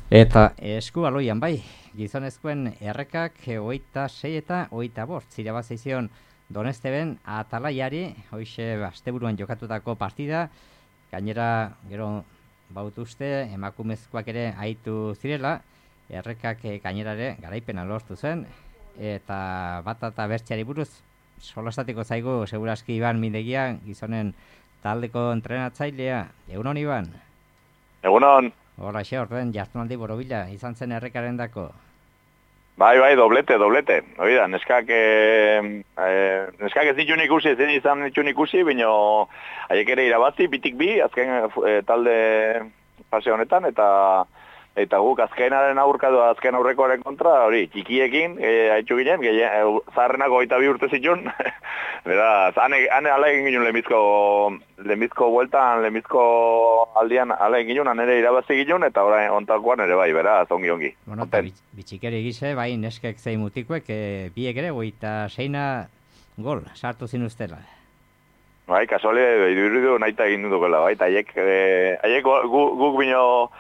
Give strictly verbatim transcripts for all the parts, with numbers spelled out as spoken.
Eta esku baloian bai, gizonezkoen errekak hogeita sei eta hogeita bost irabazi zion Donesteben Atalaiari, hoixe asteburuan jokatutako partida, gainera gero bautuzte emakumezkoak ere aitu zirela, errekak gainera ere garaipena lortu zen, eta bat eta bertzeari buruz solastatiko zaigu seguraski Iban Mindegia, gizonen taldeko entrenatzailea. Egunon, Iban? Egunon. Hola, xe, orden jartunaldi borobila, izan zen errekaren dako. Bai, bai, doblete, doblete. Oida, neskak, eh, eh, neskak ez ditun ikusi, ez izan ditun ikusi, bino haiek ere irabazi, bitik bi, azken eh, talde fase honetan, eta eta guk azkenaren aurkatu, azken aurrekoaren kontra, hori, txikiekin, eh, haitxu ginen, eh, zaharrenako hogeita bi urte zitun, beraz, hane, hane ala egin ginen lehenbizko, lehenbizko bueltan, lehenbizko aldian ala egin ginen, ere irabazi ginen, eta orain ontakoan ere bai, beraz, ongi, ongi. Bueno, eta bitxikeri gize, bai, neskek zei mutikuek, e, biek ere, goita seina gol, sartu zin ustela. Bai, kasuale, iduridu nahi egin dukela, bai, eta haiek, e, haiek guk, guk bino,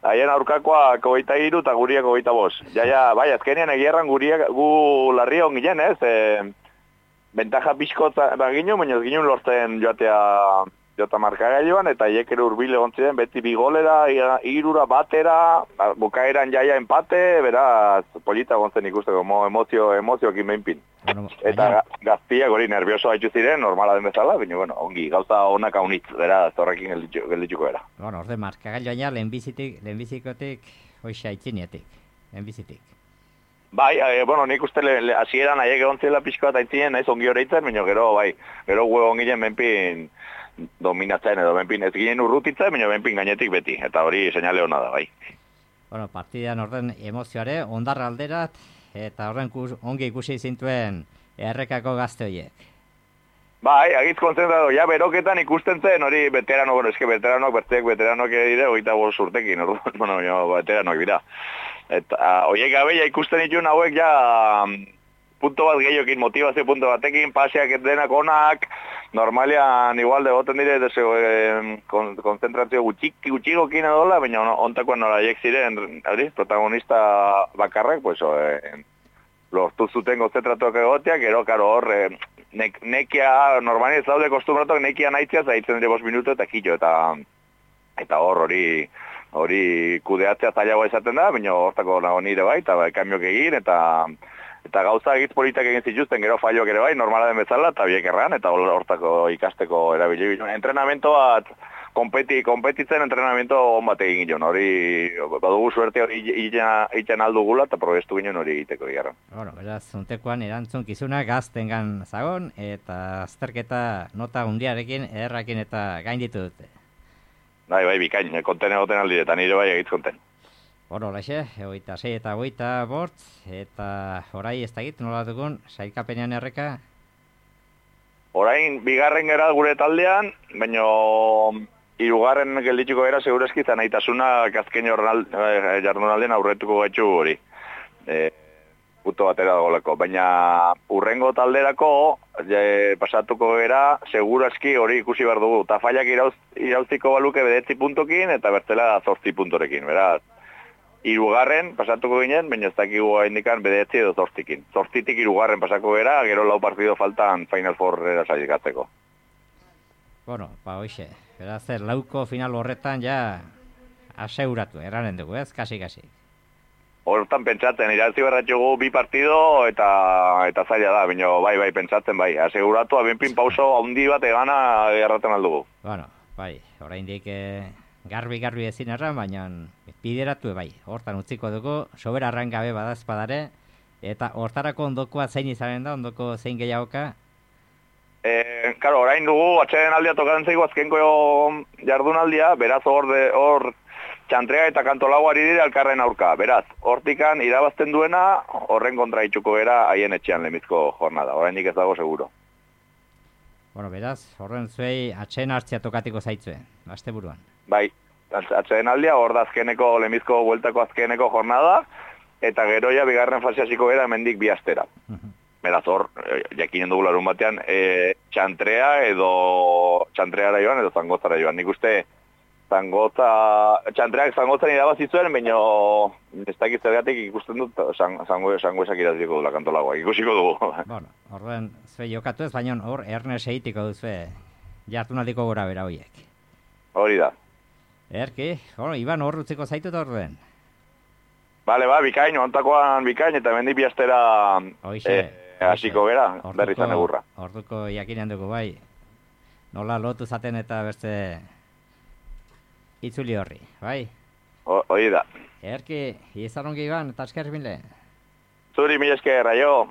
haien aurkakoa hogeita hiru eta guriak hogeita bost. Ja, ja, bai, azkenean egierran guriak gu larri hon ginen, ez? E, bentaja pixkot baginu, baina ez ginen lortzen joatea jota markagailuan, eta haiek ere urbile gontzien, beti bigolera, irura batera, bukaeran jaia empate, beraz, polita gontzen ikusteko, emozio, emozioekin behinpin. Bueno, eta gaztiak hori nervioso haitu ziren, normala den bezala, baina, bueno, ongi, gauza honak haunitz, beraz, horrekin gelditzuko era. Bueno, orde markagailuan lehenbizitik, lehenbizikotik, hoxe aitzinetik, lehenbizitik. Bai, e, bueno, nik uste hasieran haiek egon zela pixko bat aitzinen, naiz ongi horreitzen, baina gero, bai, gero gue onginen benpin dominatzen edo benpin ez ginen urrutitzen, baina benpin gainetik beti, eta hori seinale hona da, bai. Bueno, partidan orden emozioare, ondarra alderat, eta horren ongi ikusi zintuen errekako gazte horiek. Bai, agitz kontzentratu, ja beroketan ikusten zen, hori veterano, bueno, eske veteranok, berteek veteranok ere dire, hogeita bost urtekin, bueno, jo, veteranok dira. Eta horiek gabeia ikusten dituen hauek ja punto bat gehiokin, motivazio punto batekin, paseak denak onak, normalian igual degoten dire, deseo, eh, konzentrazio gutxik, gutxigokin edola, baina ontakoan nola haiek ziren, hori, protagonista bakarrak, pues, eh, lortu zuten konzentratuak egoteak, gero, karo, hor, eh, nek, nekia, normali ez daude kostumbratuak, nekia nahitzea, zaitzen dire bost minutu eta kilo, eta eta hor, hori, hori kudeatzea zailagoa izaten da, baina hortako nago nire bai, eta bai, kambiok egin, eta eta gauza egitz politak egin zituzten, gero falloak ere bai, normala den bezala, eta biek erran, eta hortako ikasteko erabili. Entrenamento bat, kompeti, kompetitzen entrenamento on bat egin ginen, hori, badugu suerte hori itxen aldugula, eta probestu ginen hori egiteko egarra. Bueno, beraz, untekoan erantzun kizuna gaztengan zagon, eta azterketa nota hundiarekin, ederrakin eta gainditu dute. Bai, bai, bikain, konten egoten aldi, eta nire bai egitz konten. Bueno, laixe, hogeita sei eta hogeita bort, eta orai ez da egit, nola dugun, sailkapenean erreka? Orain, bigarren gara gure taldean, baina hirugarren gelditzuko era segurazki zanaitasuna azken jardunaldean aurretuko gaitxu hori. E, puto batera dagoleko, baina urrengo talderako e, pasatuko gara segurazki hori ikusi behar dugu. Tafaiak irauz, irauziko baluke bedetzi puntokin eta bertzela zortzi puntorekin, beraz. Hirugarren pasatuko ginen, baina ez dakigu indikan bedetzi edo zortzikin. Zortzitik hirugarren pasako gara, gero lau partido faltan Final Four erasailikatzeko. Bueno, ba hoxe, beraz, lauko final horretan ja aseuratu, eranen dugu, ez? Kasi-kasi. Hortan pentsatzen, irazi berratxugu bi partido eta eta zaila da, baina bai, bai, pentsatzen bai. Aseguratu, abenpin pauso handi bat egana erraten aldugu. Bueno, bai, oraindik eh, garbi-garbi ezin erran, baina bideratu bai. Hortan utziko dugu, sobera arran gabe badazpadare, eta hortarako ondokoa zein izanen da, ondoko zein gehiagoka? Eh, claro, orain dugu, atxeden aldia tokatzen zaigu azkenko jardunaldia, beraz hor, de, hor txantrea eta kantolaguari dire alkarren aurka. Beraz, hortikan irabazten duena, horren kontra itxuko era haien etxean lemizko jornada. Oraindik ez dago seguro. Bueno, beraz, horren zuei atxeden hartzea tokatiko zaitzue, asteburuan. Bai, atxeden aldia, hor da azkeneko, lemizko bueltako azkeneko jornada, eta geroia bigarren fase hasiko era hemendik bi astera. Beraz, hor, jakinen dugu larun batean, e, txantrea edo txantreara joan edo zangozara joan. Nik uste zangotza, txantreak zangotzan irabazi zuen, baina ez dakit zergatik ikusten dut, zango esak iraziko dula kantolagoa, ikusiko dugu. Bueno, horren, zue jokatu ez, baina hor Ernest egitiko duzue jartunaldiko gora bera horiek. Hori da. Erki, bueno, Iban hor utziko zaitut horren. Bale, ba, bikain, ontakoan bikain, eta mendik biastera hasiko gera, berri zan egurra. Orduko jakinean dugu, bai. Nola lotu zaten eta beste itzuli horri, bai? Hori da. Erki, izan ongi Iban, eta esker mile. Zuri, mila esker, aio.